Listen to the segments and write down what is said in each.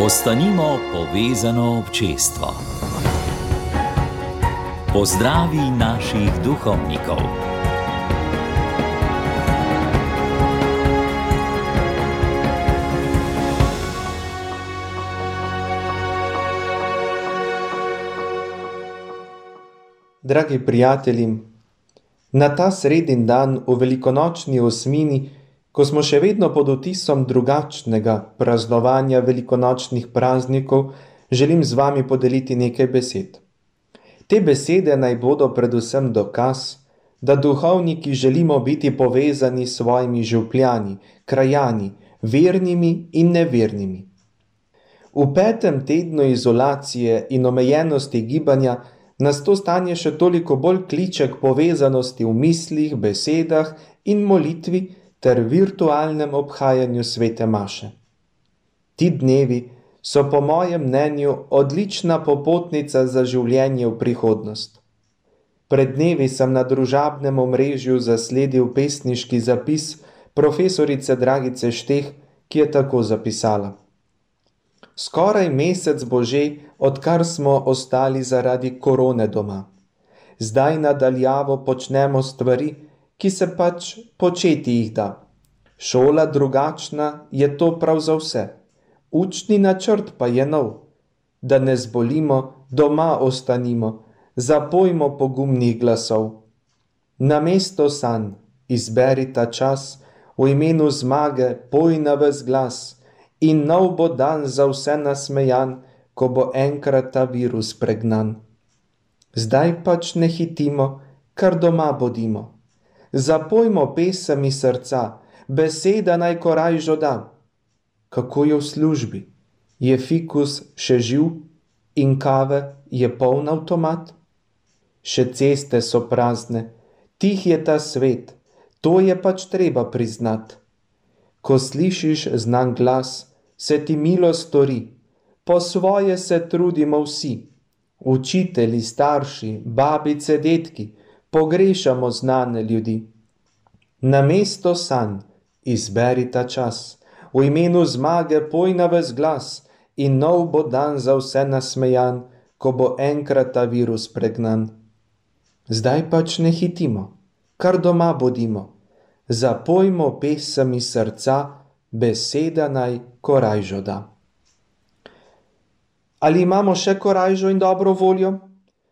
Ostanimo povezano občestvo. Pozdravi naših duhovnikov. Dragi prijatelji, na ta sredin dan v velikonočni osmini, ko smo še vedno pod vtisom drugačnega praznovanja velikonočnih praznikov, želim z vami podeliti nekaj besed. Te besede naj bodo predvsem dokaz, da duhovniki želimo biti povezani s svojimi župljani, krajani, vernimi in nevernimi. V 5. tednu izolacije in omejenosti gibanja nas to stanje še toliko bolj kliče k povezanosti v mislih, besedah in molitvi ter virtualnem obhajanju svete maše. Ti dnevi so po mojem mnenju odlična popotnica za življenje v prihodnost. Pred dnevi sem na družabnem omrežju zasledil pesniški zapis profesorice Dragice Šteh, ki je tako zapisala: Skoraj mesec bo že, odkar smo ostali zaradi korone doma. Zdaj nadaljavo počnemo stvari, ki se pač početi jih da. Šola drugačna je to prav za vse. Učni načrt pa je nov. Da ne zbolimo, doma ostanimo, zapojmo pogumnih glasov. Namesto sanj izberi ta čas, v imenu zmage poj na ves glas in nov bo dan za vse nasmejan, ko bo enkrat ta virus pregnan. Zdaj pač ne hitimo, kar doma bodimo. Zapojmo pesem iz srca, beseda naj korajžo da. Kako je v službi? Je fikus še živ in kave je poln avtomat? Še ceste so prazne, tih je ta svet, to je pač treba priznat. Ko slišiš znan glas, se ti milo stori, po svoje se trudimo vsi. Učitelji, starši, babice, dedki, pogrešamo znane ljudi. Namesto sanj izberi ta čas, v imenu zmage poj na ves glas in nov bo dan za vse nasmejan, ko bo enkrat ta virus pregnan. Zdaj pač ne hitimo, kar doma bodimo. Zapojmo pesem iz srca, beseda naj korajžo da. Ali imamo še korajžo in dobro voljo?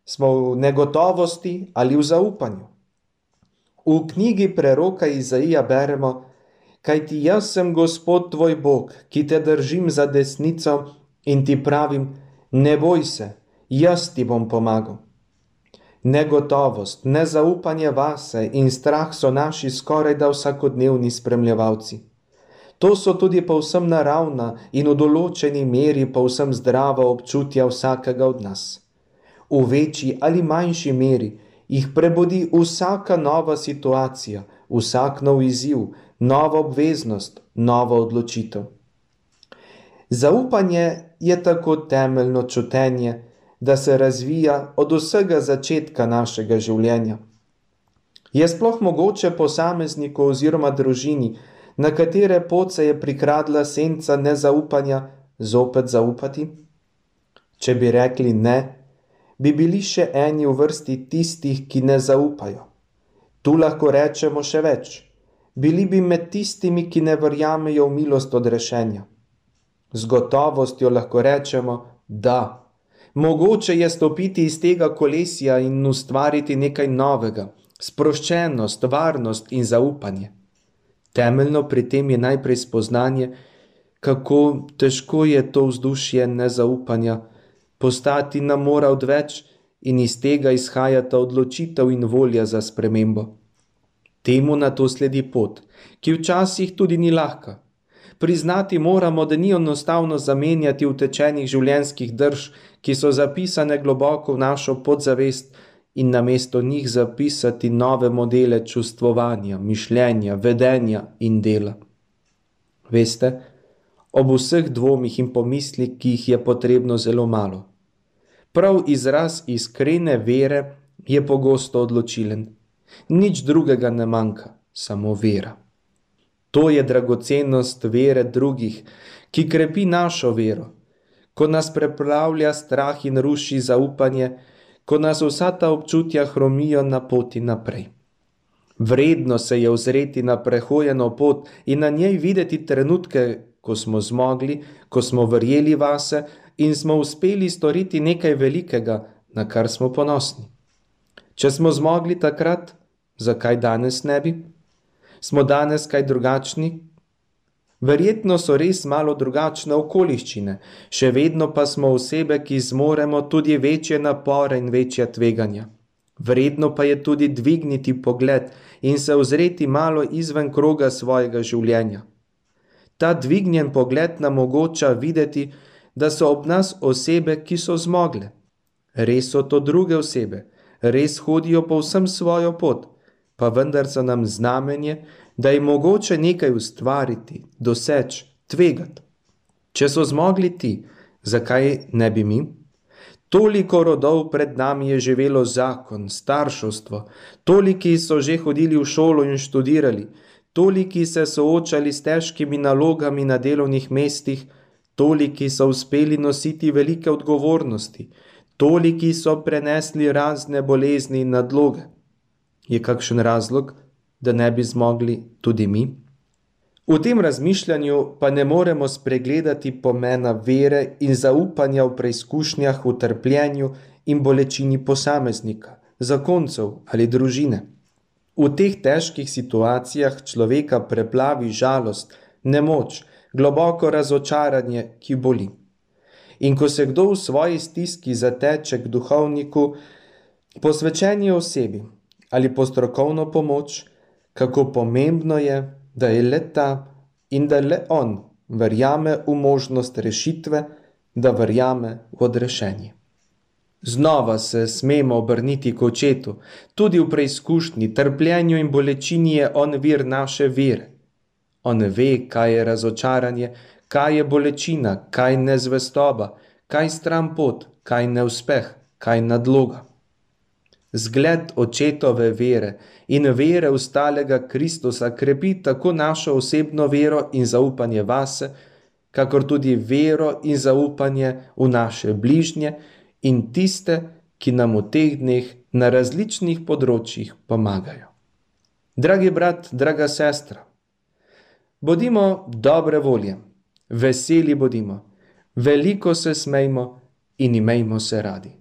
Smo v negotovosti ali v zaupanju? V knjigi preroka Izaija beremo: Kajti jaz sem Gospod tvoj Bog, ki te držim za desnico in ti pravim, ne boj se, jaz ti bom pomagal. Negotovost, nezaupanje vase in strah so naši skorajda vsakodnevni spremljevalci. To so tudi povsem naravna in v določeni meri povsem zdrava občutja vsakega od nas. V večji ali manjši meri jih prebudi vsaka nova situacija, vsak nov izziv, nova obveznost, nova odločitev. Zaupanje je tako temeljno čutenje, da se razvija od vsega začetka našega življenja. Je sploh mogoče posamezniku oziroma družini, na katere pot se je prikradla senca nezaupanja, zopet zaupati? Če bi rekli ne, bi bili še eni v vrsti tistih, ki ne zaupajo. Tu lahko rečemo še več. Bili bi med tistimi, ki ne verjamejo v milost odrešenja. Z gotovostjo lahko rečemo, da. Mogoče je stopiti iz tega kolesja in ustvariti nekaj novega, sproščenost, varnost in zaupanje. Temeljno pri tem je najprej spoznanje, kako težko je to vzdušje nezaupanja, postati nam mora odveč in iz tega izhajata odločitev in volja za spremembo. Temu nato sledi pot, ki včasih tudi ni lahka. Priznati moramo, da ni enostavno zamenjati utečenih življenjskih drž, ki so zapisane globoko v našo podzavest in namesto njih zapisati nove modele čustvovanja, mišljenja, vedenja in dela. Veste, ob vseh dvomih in pomislih, ki jih je potrebno zelo malo. Prav izraz iskrene vere je pogosto odločilen. Nič drugega ne manjka, samo vera. To je dragocenost vere drugih, ki krepi našo vero. ko nas preplavlja strah in ruši zaupanje, ko nas vsa ta občutja hromijo na poti naprej. Vredno se je ozreti na prehojeno pot in na njej videti trenutke, ko smo zmogli, ko smo verjeli vase in smo uspeli storiti nekaj velikega, na kar smo ponosni. Če smo zmogli takrat, zakaj danes ne bi? Smo danes kaj drugačni? Verjetno so res malo drugačne okoliščine, še vedno pa smo osebe, ki zmoremo tudi večje napore in večja tveganja. Vredno pa je tudi dvigniti pogled in se ozreti malo izven kroga svojega življenja. Ta dvignjen pogled nam omogoča videti, da so ob nas osebe, ki so zmogle. Res so to druge osebe, res hodijo povsem svojo pot, pa vendar so nam znamenje, da je mogoče nekaj ustvariti, doseči, tvegati. Če so zmogli ti, zakaj ne bi mi? Toliko rodov pred nami je živelo zakon, starševstvo, toliki so že hodili v šolo in študirali, toliki se soočali s težkimi nalogami na delovnih mestih, toliki so uspeli nositi velike odgovornosti, toliki so prenesli razne bolezni in nadloge. Je kakšen razlog, da ne bi zmogli tudi mi? V tem razmišljanju pa ne moremo spregledati pomena vere in zaupanja v preizkušnjah, v trpljenju in bolečini posameznika, zakoncev ali družine. V teh težkih situacijah človeka preplavi žalost, nemoč, globoko razočaranje, ki boli. In ko se kdo v svoji stiski zateče k duhovniku, posvečeni osebi ali po strokovno pomoč, kako pomembno je, da je le ta in da le on verjame v možnost rešitve, da verjame v odrešenje. Znova se smemo obrniti k očetu, tudi v preizkušnji, trpljenju in bolečini je on vir naše vere. On ve, kaj je razočaranje, kaj je bolečina, kaj nezvestoba, kaj stran pot, kaj neuspeh, kaj nadloga. Zgled očetove vere in vere ustalega Kristusa krepi tako našo osebno vero in zaupanje vase, kakor tudi vero in zaupanje v naše bližnje in tiste, ki nam v teh dneh na različnih področjih pomagajo. Dragi brat, draga sestra, bodimo dobre volje, veseli bodimo, veliko se smejmo in imejmo se radi.